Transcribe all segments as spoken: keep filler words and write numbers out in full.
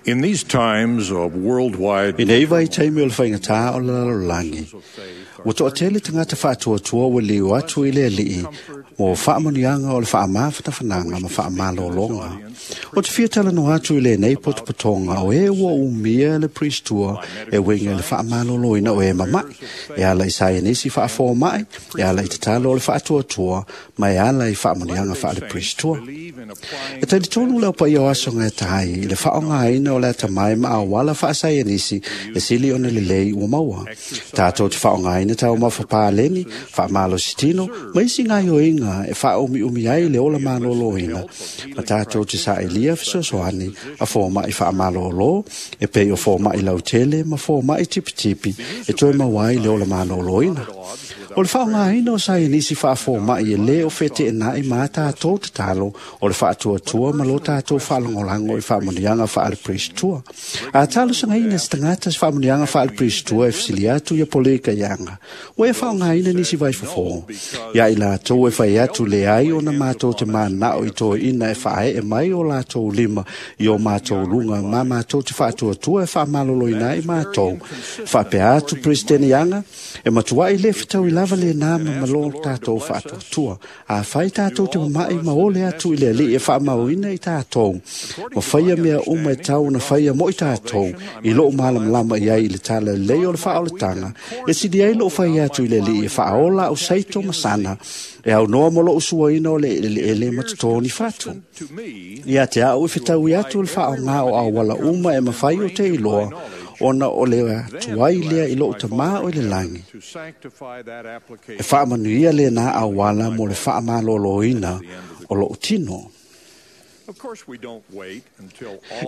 In these times of worldwide I nei vaitaimi o le faigata o le lalolagi, ua toatele tagata faatuatua ua liu atu i le Alii mo faamanuiaga o le faamafanafanaga ma faamalologa. O te fia talanoa atu i lenei potopotoga o e ua umia le Priestua e uiga i le faamaloloina o e mama'i, e ala i saienisi faafoma'i, e ala i tatalo o le faatuatua, ma e ala i faamanuiaga faale-Priestua. E talitonu le aupaia o aso gaetai i le faaaogaina o le atamai ma auala faasaienisi e sili ona lelei ua maua. Tatou te faaaogaina taumafa paleni, faamalositino, ma isi gaoioiga e faaumiumi ai le ola maloloina, ma tatou te sa'ilia fesoasoani a foma'i faamalōlō, e pei o foma'i lautele ma foma'i tipitipi e toe maua ai le ola maloloina. O le faaaogaina o saienisi faafoma'i e lē o feteena'i ma a tatou tatalo o le faatuatua ma lo tatou faalagolago i faamanuiaga faale-Priestua. A talosagaina se tagata se faamanuiaga faale-Priestua e fesili atu ia Poleka Iaga, ua e faaaogaina nisi vaifofō. Ia i latou e fai atu leai ona matou te manana'o i toeʻina e faae'e mai o latou lima i o matou luga ma matou te faatuatua e faamaloloina ai matou. Faapea atu Peresetene Iaga, e matua'i lē fetaui lava lenā ma malo tatou faatuatua. Afai tatou te mama'i ma ole atu i le Alii e faamauina i tatou, ma faia mea uma e tau ona faia mo i tatou, i lou malamalama i ai i le tala lelei o le faaolataga, e sili ai lou fai atu i le Alii e faaola au saito ma sana, e aunoa mo lou suaina o le eleele ma totō ni fatu. Ia te a'u e fetaui atu le faaaogā o auala uma e mafai o te iloa, ona o le atuai lea i lou tamā o i le lagi. E faamanuia lenā auala mo le faamaloloina o lou tino.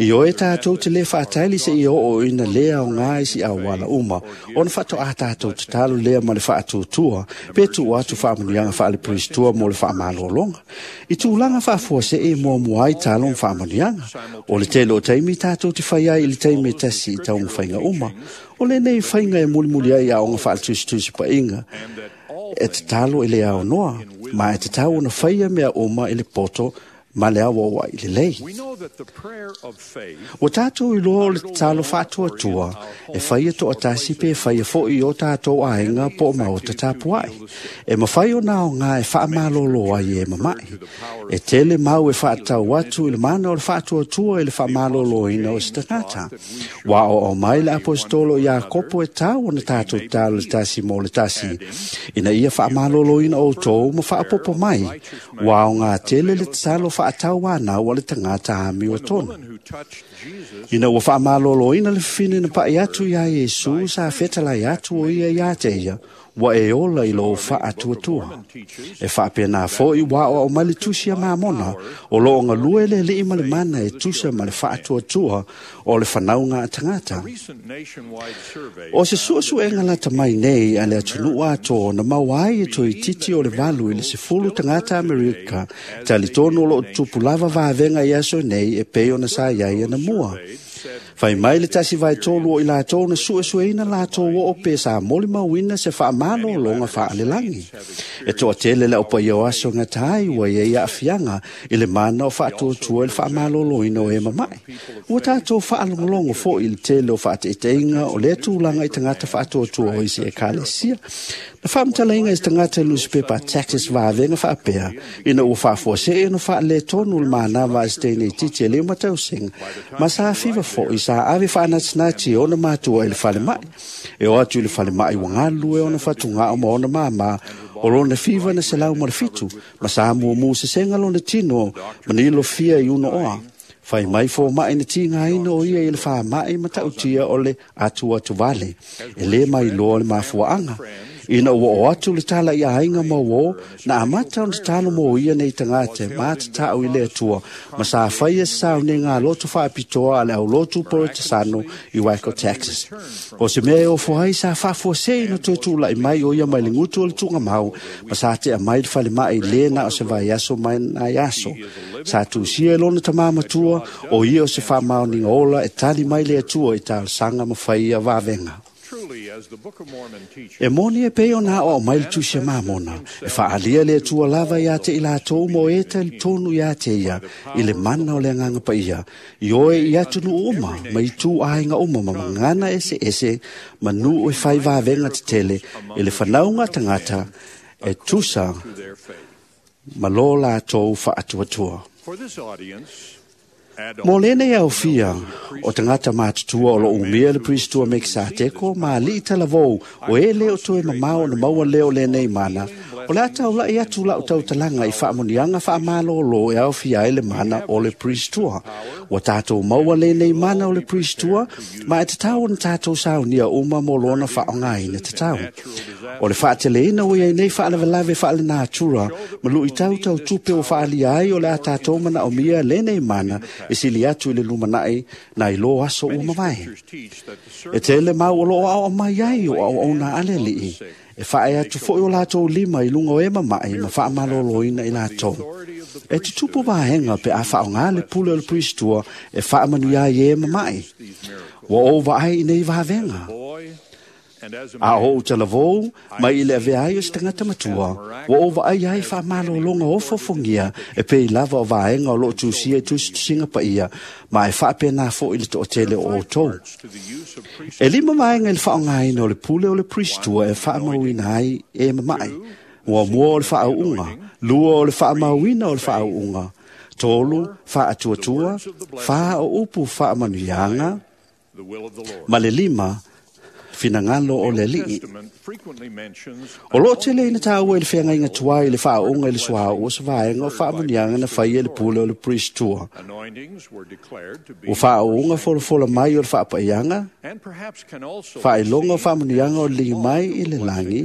I oe tatou te lē faatali seia oo ina lē aogā i si auala uma, ona faatoā tatou tatalo lea ma le faatuatua, pe tuu atu faamanuiaga faale-Priestua mo le faamalologa. I tulaga faafuasei e muamua ai talo ma faamanuiaga. O le tele o taimi tatou te fai ai i le taimi e tasi i taumafaiga uma. O lenei faiga e mulimuli ai aoga faaletusitusi paʻiga, e tatalo e le aonoa, ma e tatau ona faia mea uma i le poto ma le auaua'i lelei. Ua tatou iloa o le tatalo faatuatua e faia to'atasi pe faia fo'i i o tatou aiga po o maota tapua'i. E mafai ona aogā e faamalōlō ai e mama'i. E tele mau e faatatau atu i le mana o le faatuatua i le faamalōlōina o se tagata. Ua aoao mai le Aposetolo Iakopo e tau ona tatou tatalo le tasi mo le tasi, ina ia faamalōlōina outou ma faaopoopo mai, ua aogā tele le tatalo faatauanau a le tagata amiotonu. Ina ua faamalōlōina le fafine na pa'i atu iā Iesu sa fetalai atu o ia iā te ia, ua e ola i lou faatuatua. E faapena fo'i ua aoao mai le Tusi a Mamona, o loo galue le Alii ma le mana e tusa ma le faatuatua o le fanauga a tagata. O se suesuega lata mai nei a le atunuu atoa na maua ai e toeitiiti o le valu i le sefulu tagata Amerika, talitonu o loo tutupu lava vavega i aso nei e pei ona sa i ai anamua. Fai mai le tasi vaetolu o i latou na suesueina latou oo pe sa molimauina se faamalōloga faalelagi. E toatele le aupaia o aso gatai ua iai aafiaga i le mana o faatuatua i le faamalōlōina o e mama'i. Ua tatou faalogologo fo'i i le tele o faateiteiga o lea tulaga i tagata faatuatua o isi ekalesia. Na faamatalaina e se tagata i le nusipepa Texas vavega faapea, ina ua faafuasei ona faaletonu le manava a se teine itiiti e lima tausaga, ma sa fiva fo'i sa ave faanatinati e ona matua i le falema'i. E o atu i le falema'i ua galulue ona fatuga'o ma ona māmā o lona fiva na selau ma le fitu, ma sa muamū sesega lona tino ma nilofia i uno'oa. Fai mai foma'i na tigaina o ia i le fāma'i mata'utia o le atuatuvale, e lē mailoa le mafua'aga. Ina ua o atu le tala i aiga ma uō, na amata ona tatalo mo ia nei tagata e matata'u i le Atua, ma sa faia se sauniga loto faapitoa a le aulotu Porotasano i Waco, Texas. O se mea e ofo ai sa faafuasei na toe tula'i mai o ia mai le gutu o le tugamau, ma sa tea mai le falema'i lē na o se vaiaso mai nai aso. Sa tusia e lona tamā matua, o ia o se faamaoniga ola e tali mai le Atua i talosaga ma faia vavega. E moni e pei ona o mai le tusi a Mamona, e faalia le Atua lava ia te i latou mo e talitonu ia te ia, i le mana o le Agaga Paia, i oe i atunuu uma, ma i tu aiga uma ma magana ese ese, ma nuu e fai vavenga tetele, i le fanauga tagata, e tusa ma lo latou faatuatua. Mo lenei aofia o tagata matutua o lo umia le Priestua Mekisateko ma alii talavou o e le o toe mamao na maua leo lenei mana, o le a taulai atu lau tautalaga i faamanuiaga faamalōlō e aofia ai le mana o le Priestua. Ua tatou maua lenei mana o le Priestua, ma e tatau ona tatou saunia uma mo lona faaaogaina tatau. O le faateleina ua iai nei faalavelave faalenatura ma luitau tau tupe ua faaalia ai o le a tatou manaomia lenei mana e sili atu i le lumanai nai lo aso ua mavae. E tele mau o loo aoao mai ai o auauna a le Alii, e faae atu foi o latou lima i luga o e mama'i ma faamalōlōina i latou. E tutupu vaega pe a faaaogā le pule o le Priestua e faamanuia ai e mama'i. Ua ou vaai i nei vavenga. A o ou talavou mai i le avea ai o se tagata matua, ua ou vaai ai faamalōlōga ofofogia e pei lava o vaega o loo tusia i tusitusiga paia, ma e faapena foi le toatele o outou. E lima vaega i le faaaogaina o le pule o le Priestua e faamauina ai e mama'i. Muamua o le faauuga, lua o le faamauina o le faauuga, tolu faatuatua, fa o upu faamanuiaga, ma le lima finagalo o le Alii. O loo tele ina taua i le feagaiga tuai i le faaauga i le suauu o se vaega o faamanuiaga na faia i le pule o le Priestua. Ua faauuga folafola mai o le faapaiaga, faailoga o faamanuiaga o le ligi mai i le lagi,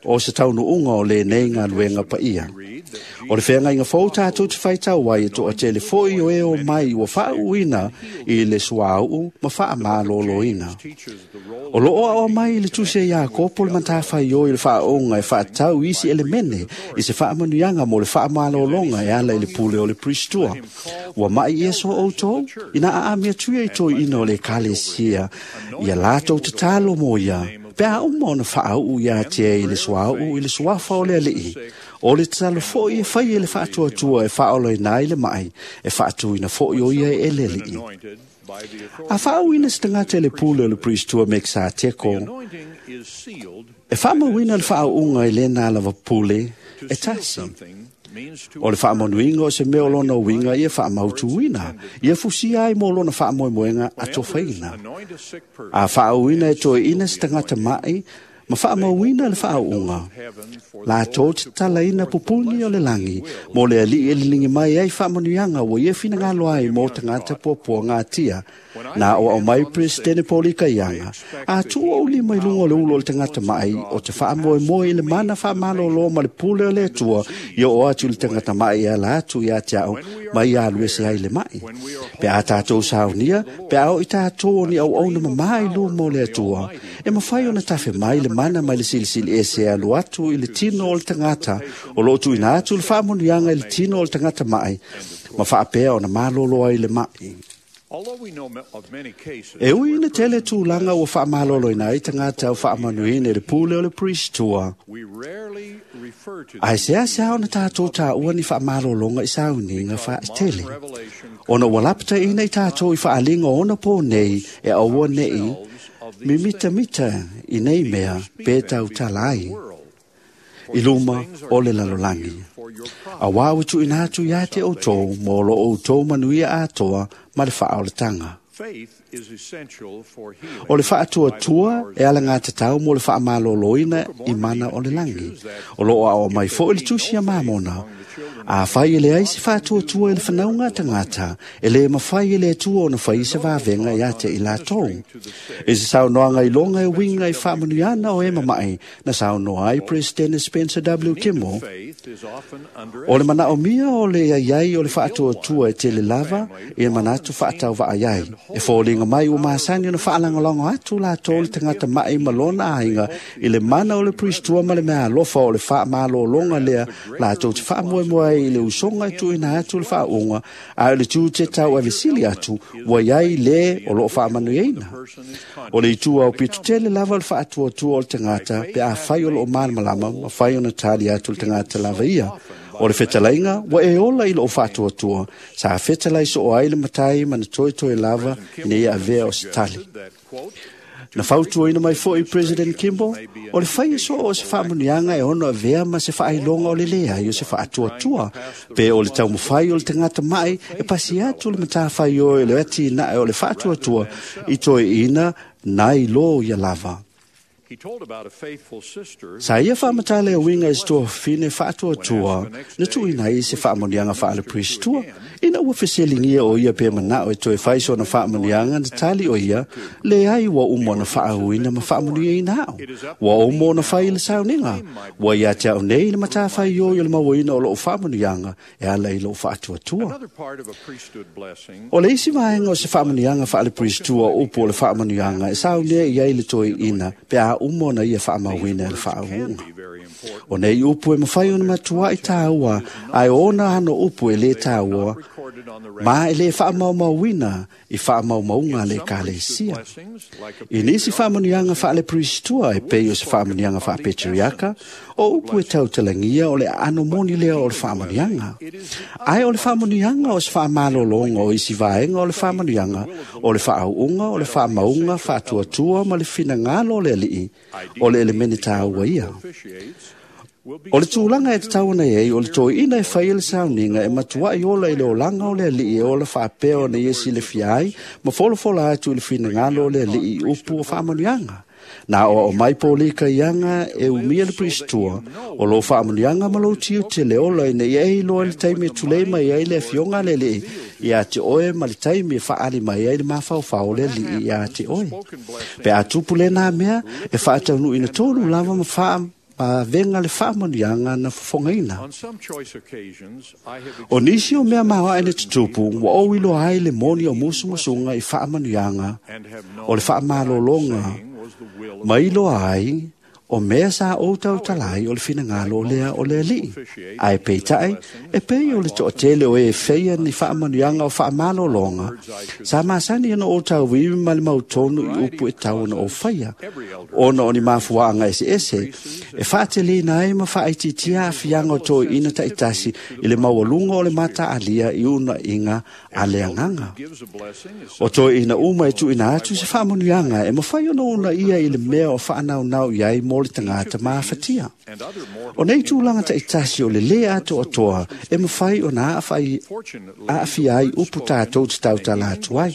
o se taunuuga o lenei galuega paia. O le feagaiga fou tatou te faitau ai e toatele foi o e o mai ua faauuina i le suauu ma faamalōlōina. O loo aoa mai i le tusi a Iakopo le matafaioi i le faaauga e faatatau isi elemene i se faamanuiaga mo le faamalōlōga e ala i le pule o le Priestua. Ua mai ia so outou, ina aami atu ia i toeaina o le ekalesia, ia latou tatalo mo ia, pe a uma ona faauu ia te i le suauu i le suafa o le Alii. O le tatalo foi e fai e le faatuatua e faaolaina ai le mai, e faatuina foi o ia e le Alii. A faauuina se tagata i le pule o le Priestua Mekisateko, e faamauina le faauuga i lena lava pule e tasi. O le faamanuiga o se mea o lona uiga ia faamautuina, ia fusia ai mo lona faamoemoega atofaina. A faauuina e toeaina se tagata ma'i, ma faamauina le faauuga, latou te tatalaina pupuni o le lagi, mo le Alii e liligi mai ai faamanuiaga ua ia finagalo ai mo tagata puapuagatia. Na o au mai Presidente Polika Ianga, a tuu ou lima i luga o le ulo o le tagata ma'i o te faamoemoe i le mana faamalōlō ma le pule o le Atua, ia oo atu i le tagata ma'i e ala atu ia te au, ma ia alu ese ai le ma'i. Pe a tatou saunia, pe a o i tatou o ni auauna mamā i luma o le Atua, e mafai ona tafe mai le mana mai le silisili ese e alu atu i le tino o le tagata, o loo tuuina atu le faamanuiaga i le tino o le tagata ma'i, ma faapea ona malōlō ai le ma'i. E ui ina tele tulaga ua faamalōlōina ai tagata o faamanuiina i le pule o le Priestua, ae seasea ona tatou taua ni faamalōlōga i sauniga faaitele, ona ua lapataina i tatou i faaliga o ona pō nei e aua nei mimitamita i nei mea pe tautala ai i luma o le lalolagi. Auā ua tuuina atu ia te outou mo lo outou manuia atoa ma le faaolataga. O le faatuatua e alagatatau mo le faamalōlōina i mana o le lagi. O loo aoa mai foi le tusi a Mamona. A fai e le ai se faatuatua i le fanauga tagata, e le mafai e le Atua ona fai se vavenga ia te i latou. E se saunoaga i loga e uiga i faamanuiana o e mama'i, na saunoa ai Presidente Spencer W. Kimball. O le manaomia o le aiai o le faatuatua e tele lava i le manatu faatauvaai ai. E foliga mai ua masani ona faalagolago atu latou le tagata ma'i ma lona aiga i le mana o le Priestua ma le meaalofa o le faamalōlōga lea latou te faamoemoe ai i le usoga e tuuina atu le faauuga, a o le tiute tauavesili atu ua i ai lē o loo faamanuiaina. O le itu aupito tele lava o le faatuatua o le tagata pe afai o loo malamalama ma fai ona tali atu le tagata lava ia. O le fetalaiga ua e ola i loo faatuatua, sa fetalai soo ai le matai ma na toetoe lava ina ia avea o se tali. Na fautuaina mai foi President Kimball, o le faia soo o se faamanuiaga e ono avea ma se faailoga o le leai o se faatuatua, pe o le taumafai o le tagata mai e pasi atu le matafaioi o le atinae o le faatuatua i toeina nai lo ia lava. He told about a faithful sister Sa ia faamatala e uiga i se tuafafine faatuatua na tuuina ai se faamanuiaga faale-priestua, ina ua fesiligia o ia pe manao e toe fai sona faamanuiaga na tali o ia, leai ua uma ona faauuina ma faamanuiaina au. Ua uma ona fai le sauniga, ua ia te au nei le matafaioi o le mauaina o loo faamanuiaga e ala i lou faatuatua. Another part of a priesthood blessing O le isi vaega o se faamanuiaga faale-priestua o upu o le faamanuiaga e saunea i ai le toeina pe a uma ona ia faamauina e le faauuga. be very important. O nei upu e mafai ona matuai tāua, ae o ona ano upu e lē tāua, Recorded on the ma e lē faamaumauina i faamaumauga a le ekalesia. blessings, like a I nisi faamanuiaga faale-priestua e pei o se faamanuiaga faapetriaka, o upu e tautalagia o le aano moni lea o le faamanuiaga. Ae o le faamanuiaga o se faamalologa o isi vaega o le faamanuiaga, o le faauuga, o le faamauga, faatuatua ma le finagalo o le alii, o le elemene tāua ia. officiates will be O le tulaga e tatau ona i ai, o le toeina e faia le sauniga e matuai ola i le olaga o le alii e ola faapea ona ia silafia ai ma folafola atu i le finagalo o le alii i upu o faamanuiaga. Na o mai polika ianga e umia le priestua, o lo faamanuiaga ma lou tiute le ola ina ia e iloa i le taimi e tulei mai ai le afioga a le alii ia te oe ma le taimi e faali mai ai le mafaufau o le alii ia te oe. Pe a tupu lena mea, e faataunuuina tonu lava ma faa ma venga le faamanuiaga na fofogaina. On some choice occasions, I have O nisi o mea maoae le tutupu, ua ou iloa ai le moni o musumusuga i faamanuiaga and have known o le faamalologa saying was the will of ma iloa ai o mea sa ou tautalai o le finagalo o lea o le alii. Ae peitai, e pei o le toatele o e feia ni faamanuiaga o faamalologa, sa masani ona ou tauivi ma le mautonu i upu e tau ona ou faia. Ona o ni mafuaaga eseese, e faateleina ai ma faaitiitia aafiaga o toeina taitasi i le maualuga o le mataalia i unaiga a le agaga. gives a blessing is O toeina uma e tuuina atu se faamanuiaga e mafai ona unaia i le mea o faanaunau i ai mo le tagata mafatia. and other mortal O nei tulaga taitasi o le lē atoatoa e mafai ona aafai fortunately aafia ai upu tatou te tautala atu ai.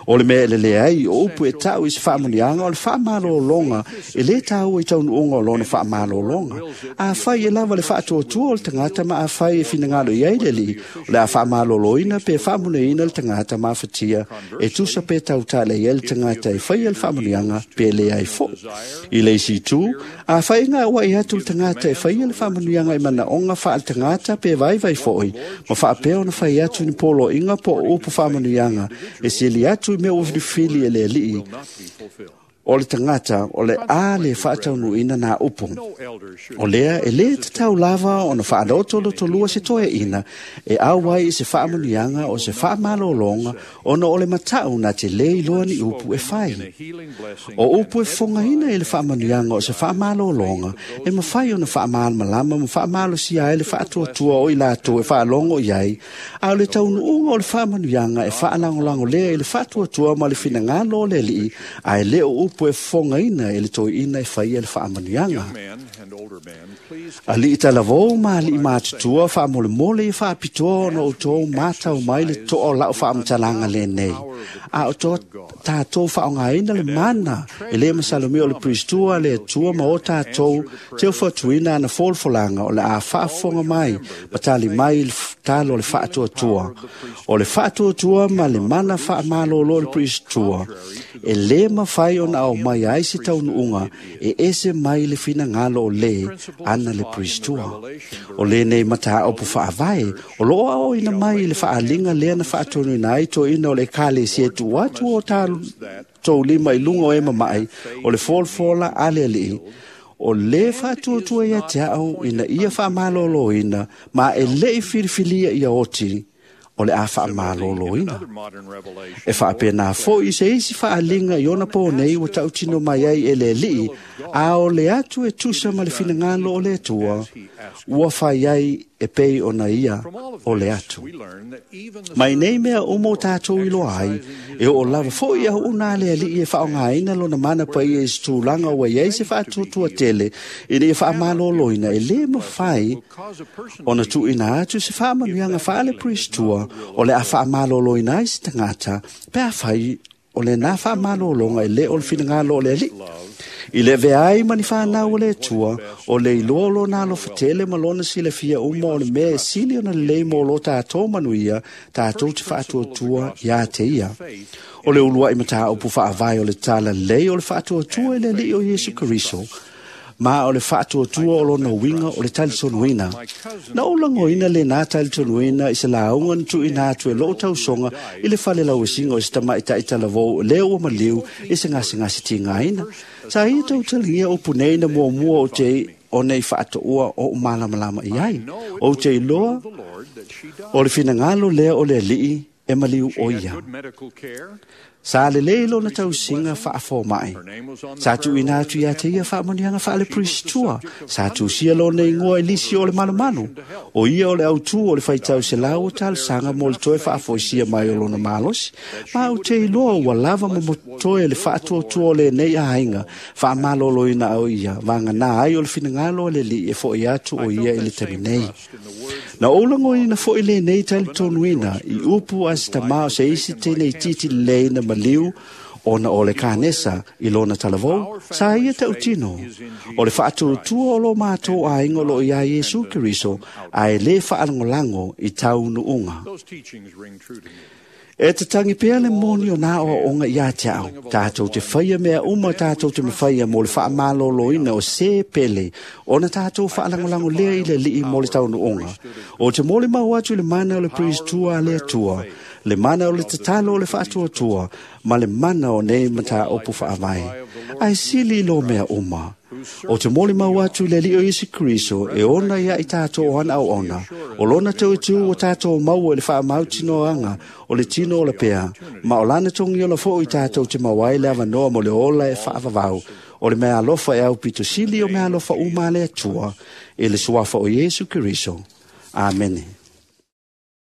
O le mea e lelei ai o upu e tau i se faamanuiaga o le faamalologa e lē tāua i taunuuga o lona faamalologa. Afai e lava le faatuatua o le tagata ma afai e finagalo i ai le alii, o le a faamaloloina pe faamanuiaina le tagata mafatia e tusa pe tautala i ai le tagata e faia le faamanuiaga pe leai foi. I le isi itu, afai e gauai atu le tagata e faia le faamanuiaga i manaoga faale-tagata pe vaivai foi, ma faapea ona fai atu ni poloaiga po o upu faamanuiaga e sili atu i mea ua filifili e le alii, not be fulfilled. o le tagata o le a le faataunuuina nā upu. No elder should O lea e lē tatau lava ona faalotolotolua se toeaina e au ai i se faamanuiaga o se faamalologa ona o le matau na te lē iloa ni upu e fai. in a healing blessing O upu e fofogaina i le faamanuiaga o se faamalologa e mafai ona faamalamalama ma faamalosia ai le faatuatua o i latou e faalogo i ai, a o le taunuuga o le faamanuiaga e faalagolago lea i le faatuatua ma le finagalo o le alii, ae le o upu e fofogaina e le toeina e faia le faamanuiaga. men and older men, please Alii talavou ma alii matutua faamolemole ia faapitoa ona outou matau mai le toa o lau faamatalaga lenei. A o to tatou faaaogaina le mana e lē masalomia o le priestua le Atua ma o tatou teufatuina ana folafolaga o le a faafofoga mai ma tali mai i le f- talo o le faatuatua. O le faatuatua ma le mana faamalolo o le priestua e lē mafai ona aumai ai se taunuuga e ese mai le finagalo o lē ana le priestua. O lenei mataupu faavae o loo aoina mai i le faaliga lea na faatonuina ai toeina o le ekalesia e tuu atu o tatou lima i luga o e mama'i o le folafola a le alii. O lē faatuatua ia te a'u ina ia faamalōlōina ma e le'i filifilia ia oti o le a faamalōlōina. E faapenā fo'i se isi faaliga i ona pō nei ua tautino mai ai e le Ali'i, a o le atu e tusa ma le finagalo o le Atua, ua fai ai e pei ona ia o le atu. Mai nei mea uma o tātou iloa ai, e oo lava fo'i au'una a le Ali'i e faaaogāina lona mana paia i se tulaga ua iai se faatuatua tele ina ia faamalōlōina e lē mafai ona tuuina atu se faamanuiaga faale-Peristua o le a faamalōlōina ai se tagata pe afai o lenā faamalōlōga e lē o le finagalo o le Ali'i. I le avea ai ma ni whanau o le Atua, o le iloa o lona alofa tele ma lona silafia uma o le mea e sili ona lelei mo lo tātou manuia, tātou te faatuatua iā te ia. O le uluai mataupu faavae o le tala lelei o le faatuatua i le Alii o Iesu Keriso, ma o le faatuatua o lona uiga o le talitonuina. Na ou lagoina lenā talitonuina i se lauga na tuuina atu e lo'u tausoga i le fale lauesiga o se tamaʻitaʻi talavou lea ua maliu i se gasegase tigaina. Sa ia tautalagia upu nei na muamua ou te ona i faatoua o ou malamalama i ai. Ou te iloa o le finagalo lea o le Alii e maliu o ia. Sa lelei lona tausiga faafomaʻi. Sa tuuina atu iā te ia faamanuiaga faale-Peristua. Sa tusia lona igoa i lisi o le malumalu. O ia o le autū o le faitau selau o talosaga mo le toe faafoisia mai o lona malosi. Ma ou te iloa ua lava ma motoe le faatuatua o lenei aiga faamalōlōina au ia vaganā ai o le finagalo o le Alii e fo'i atu o ia i le taimi nei. Na ou lagoina fo'i lenei talitonuina i upu a se tamā o se isi teine itiiti lelei na maliu ona o le kanesa i lona talavou, sa ia tautino. O le faatuatua o lo mātou aiga o loo iā Iesu Keriso, ae lē faalagolago i taunuuga. Those teachings ring true to me. E tatangi pea le moni o nā oaoga iā te a'u, tātou te faia mea uma tātou te mafaia mo le faamalōlōina o sē pele, ona tātou faalagolago lea i le Alii mo le taunuuga. O te molimau atu i le mana o le Peristua a le Atua, le mana o le tatalo o le faatuatua, ma le mana o nei mataupu faavae. Ae sili i lō mea uma. O te molimau atu i le Alii o Iesu Keriso e ona ia i tātou o ana auauna, o lona tauitū o tātou maua i le faamautinoaga o le tino o le pea, ma o lana togiola fo'i tātou te mau ai le avanoa mo le ola e faavavau, o le mea alofa e aupito sili o mea alofa uma a le Atua, i le suafa o Iesu Keriso. Amene.